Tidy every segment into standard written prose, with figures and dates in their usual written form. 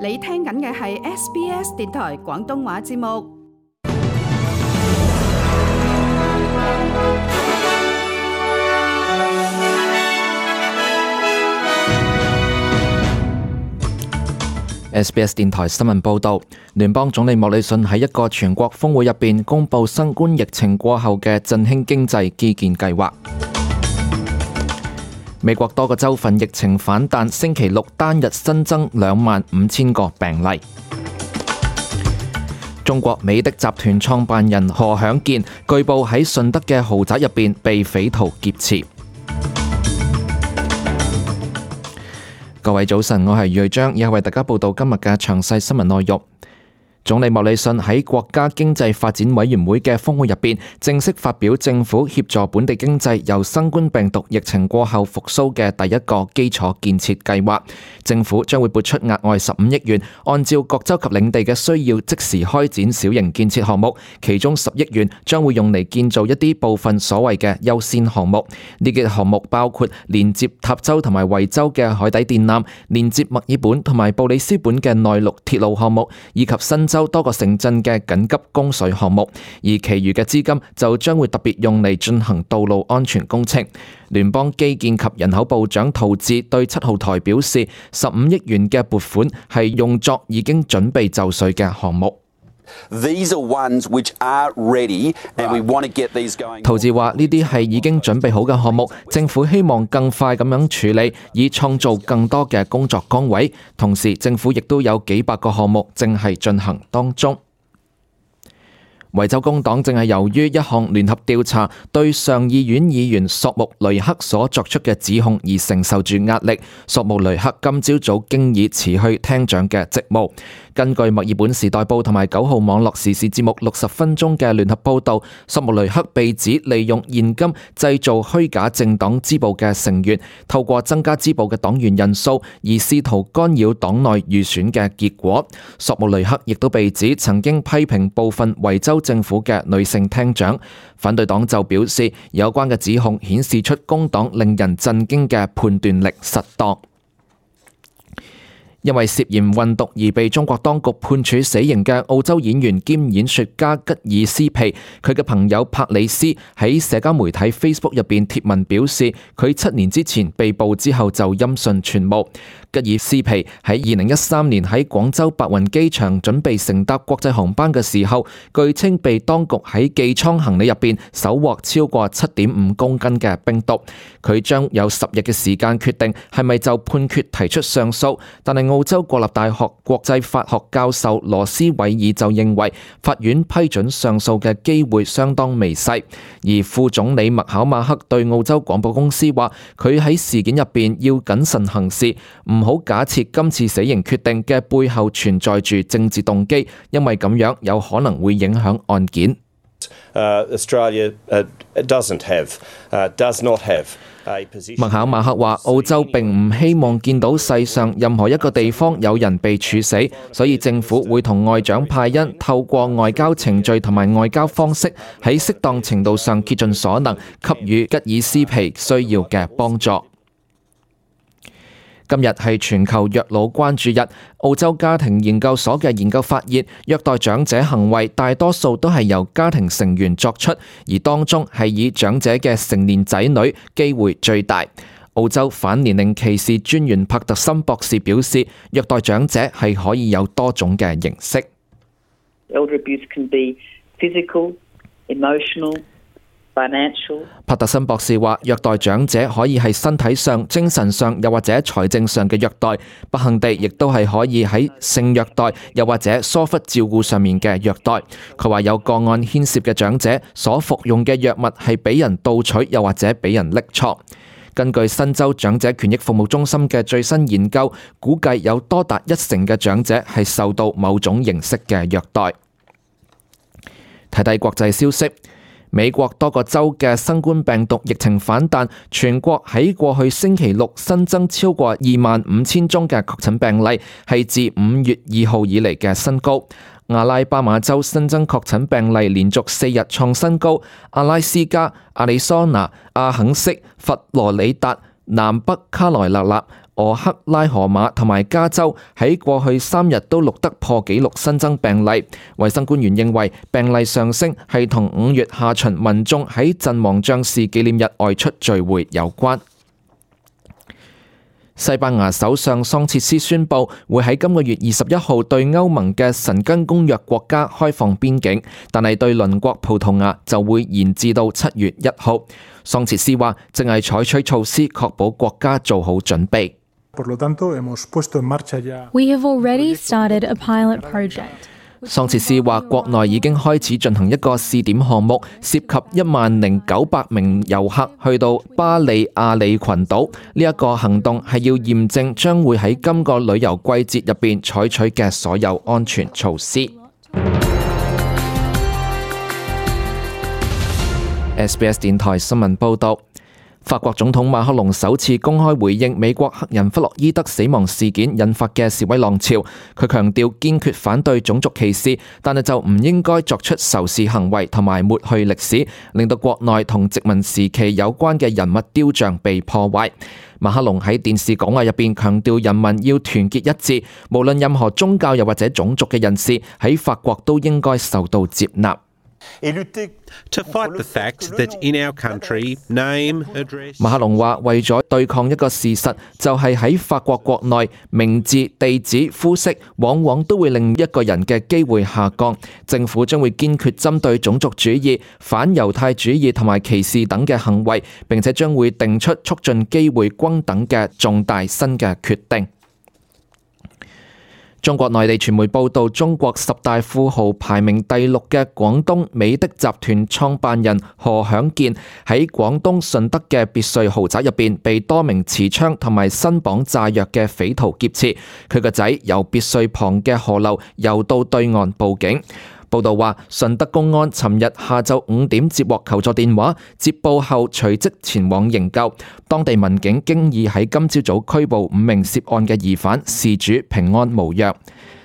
你聽緊嘅係 SBS 電台廣東話節目。SBS 電台新聞報導，聯邦總理莫里遜喺一個全國峰會入邊公布新冠疫情過後嘅振興經濟基建計劃。美國多個州份疫情反彈，星期六單日新增25,000個病例。中國美的集團創辦人何享健據報喺順德嘅豪宅入邊被匪徒劫持。各位早晨，我係余章，以下為大家報道今日嘅詳細新聞內容。總理莫里遜喺國家經濟發展委員會嘅峰會入邊，正式發表政府協助本地經濟由新冠病毒疫情過後復甦嘅第一個基礎建設計劃。政府將會撥出額外15億元，按照各州及領地嘅需要，即時開展小型建設項目，其中10億元將會用嚟建造一啲部分所謂嘅優先項目。呢啲項目包括連接塔州同埋維州嘅海底電纜，連接墨爾本同埋布里斯本嘅內陸鐵路項目，以及新州多個城鎮嘅緊急供水項目，而其餘嘅資金就將會特別用嚟進行道路安全工程。聯邦基建及人口部長陶智對7號台表示，15億元嘅撥款係用作已經準備就緒嘅項目。陶智話：呢啲係已經準備好嘅項目，政府希望更快咁樣處理，以創造更多嘅工作崗位。同時，政府亦都有幾百個項目正係進行當中。維州工黨正係由於一項聯合調查對上議院議員索穆雷克所作出嘅指控而承受住壓力。索穆雷克今朝早經已辭去廳長嘅職務。根據墨爾本時代報同埋9號網絡時事節目60分鐘嘅聯合報導，索穆雷克被指利用現金製造虛假政黨支部嘅成員，透過增加支部嘅黨員人數而試圖干擾黨內預選嘅結果。索穆雷克亦都被指曾經批評部分維州政府嘅女性廳長。反對黨就表示，有關嘅指控顯示出工黨令人震驚嘅判斷力失當。因為涉嫌運毒而被中國當局判處死刑嘅澳洲演員兼演說家吉爾斯皮，佢嘅朋友帕里斯喺社交媒體 Facebook 入邊貼文表示，佢7年之前被捕之後就音訊全無。吉爾斯皮喺2013年喺廣州白雲機場準備乘搭國際航班嘅時候，據稱被當局喺寄艙行李入邊搜獲超過7.5公斤嘅冰毒。佢將有10日嘅時間決定係咪就判決提出上訴，但係澳洲國立大學國際法學教授羅斯韋爾就認為法院批准上訴嘅機會相當微細。而副總理麥考馬克對澳洲廣播公司話，佢喺事件入邊要謹慎行事，唔好假設今次死刑決定嘅背後存在住政治動機，因為咁樣有可能會影響案件。麥考馬克話：澳洲並唔希望見到世上任何一個地方有人被處死，所以政府會同外長派恩透過外交程序同埋外交方式，喺適當程度上竭盡所能給予吉爾斯皮需要嘅幫助。今日係全球虐老關注日。澳洲家庭研究所嘅研究發現，虐待長者行為大多數都係由家庭成員作出，而當中係以長者嘅成年仔女機會最大。澳洲反年齡歧視專員帕特森博士表示，虐待長者係可以有多種嘅形式。Elder abuse can be physical, emotional,帕特森博士話，虐待長者可以係身體上、精神上又或者財政上嘅虐待，不幸地亦都係可以喺性虐待又或者疏忽照顧上面嘅虐待。佢話有個案牽涉嘅長者所服用嘅藥物係俾人盜取又或者俾人拎錯。根據新州長者權益服務中心嘅最新研究，估計有多達1成嘅長者係受到某種形式嘅虐待。睇睇國際消息。美國多個州嘅新冠病毒疫情反彈，全國喺過去星期六新增超過25,000宗嘅確診病例，係自5月2號以嚟嘅新高。阿拉巴馬州新增確診病例連續4日創新高，阿拉斯加、亞利桑那、阿肯色、佛羅里達、南北卡羅來納、俄克拉荷馬同埋加州喺過去3日都錄得破紀錄新增病例。衛生官員認為病例上升係同5月下旬民眾喺陣亡將士紀念日外出聚會有關。西班牙首相桑切斯宣布會喺今個月21號對歐盟嘅申根公約國家開放邊境，但係對鄰國葡萄牙就會延至到7月1號。桑切斯話正係採取措施確保國家做好準備。We have already started a pilot project. 桑切斯話國內已經開始進行一個試點項目，涉及10900名遊客去到巴里亞里群島。呢一個行動係要驗證將會喺今個旅遊季節入邊採取嘅所有安全措施。SBS 電台新聞報道。法國總統馬克龍首次公開回應美國黑人弗洛伊德死亡事件引發嘅示威浪潮，佢強調堅決反對種族歧視，但係就唔應該作出仇視行為同埋抹去歷史，令到國內同殖民時期有關嘅人物雕像被破壞。馬克龍喺電視講話入邊強調人民要團結一致，無論任何宗教又或者種族嘅人士喺法國都應該受到接納。To fight the fact that in our country, name, address... 馬克龍話為咗對抗一個事實，就係喺法國國內，名字、地址、膚色往往都會令一個人嘅機會下降。政府將會堅決針對種族主義、反猶太主義同埋歧視等嘅行為，並且將會定出促進機會均等嘅重大新嘅決定。中國內地傳媒報道，中國10大富豪排名第6嘅廣東美的集團創辦人何享健喺廣東順德嘅別墅豪宅入邊被多名持槍同埋身綁炸藥嘅匪徒劫持，佢個仔由別墅旁嘅河流游到對岸報警。報道話，順德公安尋日下晝5點接獲求助電話，接報後隨即前往營救。當地民警經已喺今朝早拘捕5名涉案嘅疑犯，事主平安無恙。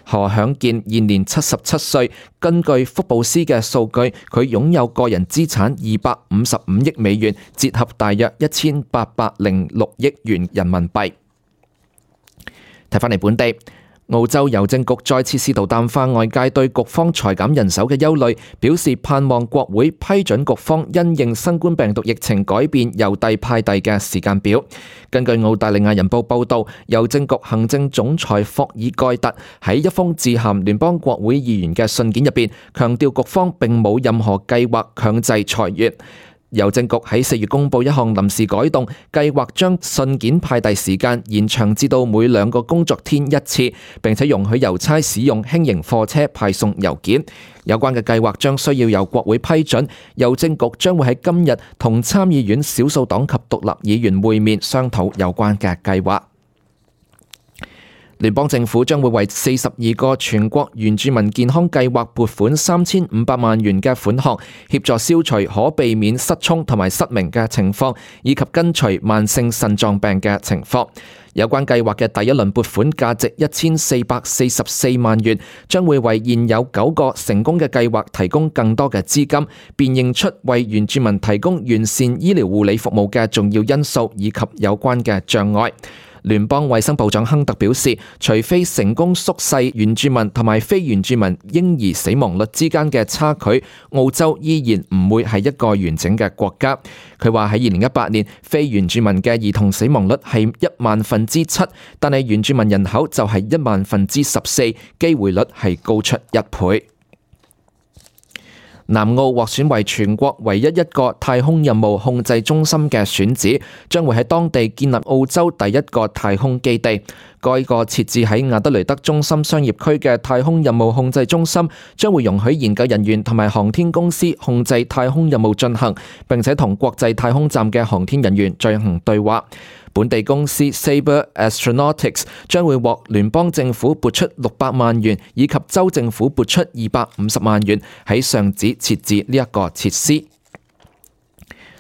何享健現年77歲，根據福布斯嘅數據，佢擁有個人資產255億美元，折合大約1806億元人民幣。睇返嚟本地。澳洲郵政局再次試圖淡化外界對局方裁減人手嘅憂慮，表示盼望國會批准局方因應新冠病毒疫情改變郵遞派遞嘅時間表。根據澳大利亞人報報導，郵政局行政總裁霍爾蓋特喺一封致函聯邦國會議員嘅信件入邊，強調局方並冇任何計劃強制裁員。郵政局喺4月公布一項臨時改動，計劃將信件派遞時間延長至到每2個工作天一次，並且容許郵差使用輕型貨車派送郵件。有關嘅計劃將需要由國會批准，郵政局將會喺今日同參議院少數黨及獨立議員會面商討有關嘅計劃。聯邦政府將會為42個全國原住民健康計劃撥款3500萬元嘅款項，協助消除可避免失聰同埋失明嘅情況，以及根除慢性腎臟病嘅情況。有關計劃嘅第一輪撥款價值1444萬元，將會為現有9個成功嘅計劃提供更多嘅資金，辨認出為原住民提供完善醫療護理服務嘅重要因素以及有關嘅障礙。聯邦衛生部長亨特表示，除非成功縮細原住民同埋非原住民嬰兒死亡率之間嘅差距，澳洲依然唔會係一個完整嘅國家。佢話喺2018年，非原住民嘅兒童死亡率係100,000%，但係原住民人口就係100,014%，機會率係高出1倍。南澳獲選為全國唯一一個太空任務控制中心嘅選址，將會喺當地建立澳洲第一個太空基地。該個設置喺亞德雷德中心商業區嘅太空任務控制中心，將會容許研究人員同埋航天公司控制太空任務進行，並且同國際太空站嘅航天人員進行對話。本地公司 Sabre Astronautics 將會獲聯邦政府撥出600萬元，以及州政府撥出250萬元，喺上址設置呢一個設施。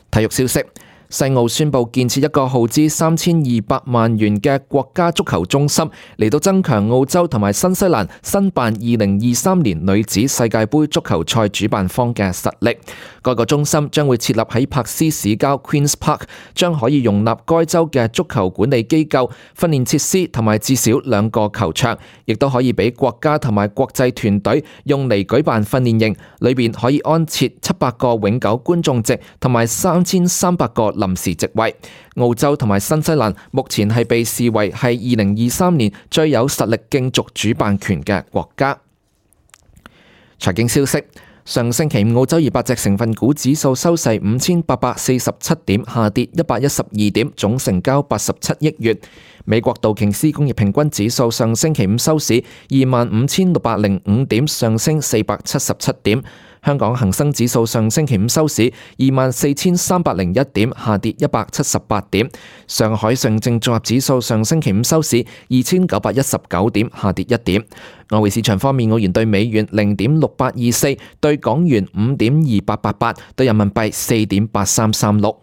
體育消息。西澳宣布建設一個耗資3200萬元嘅國家足球中心，嚟到增強澳洲同埋新西蘭申辦2023年女子世界盃足球賽主辦方嘅實力。該個中心將會設立喺柏斯市郊 Queen's Park， 將可以容納該州嘅足球管理機構、訓練設施同埋至少2個球場，亦都可以俾國家同埋國際團隊用嚟舉辦訓練營，裏邊可以安設700個永久觀眾席同埋3300個臨時席位。澳洲同埋新西蘭目前係被視為係2023年最有實力競逐主辦權嘅國家。財經消息。上星期五澳洲200隻成分股指數收市5847點，下跌112點，總成交87億元。美國道瓊斯工業平均指數上星期五收市25,605點，上升477點。香港恒生指數上星期五收市24,301點，下跌178點。上海上證綜合指數上星期五收市2,919點，下跌1點。外匯市場方面，澳元對美元0.6824，對港元5.2888，對人民幣4.8336。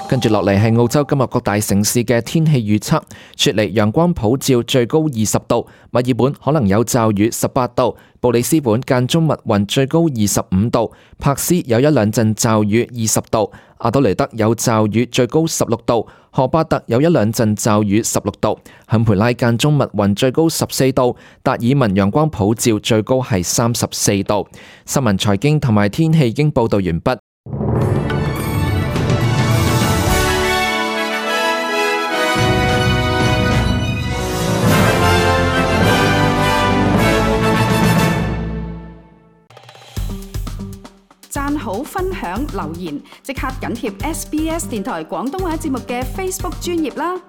跟住落嚟係澳洲今日各大城市嘅天氣預測。雪梨陽光普照，最高20度；墨爾本可能有驟雨，18度；布里斯本間中密雲，最高25度；柏斯有一兩陣驟雨，20度；阿德雷德有驟雨，最高16度；荷巴特有一兩陣驟雨，16度；坎培拉間中密雲，最高14度；達爾文陽光普照，最高係34度。新聞、財經同埋天氣已經報道完畢。讚好、分享、留言，即刻緊貼SBS 電台廣東話節目嘅 Facebook 專頁啦！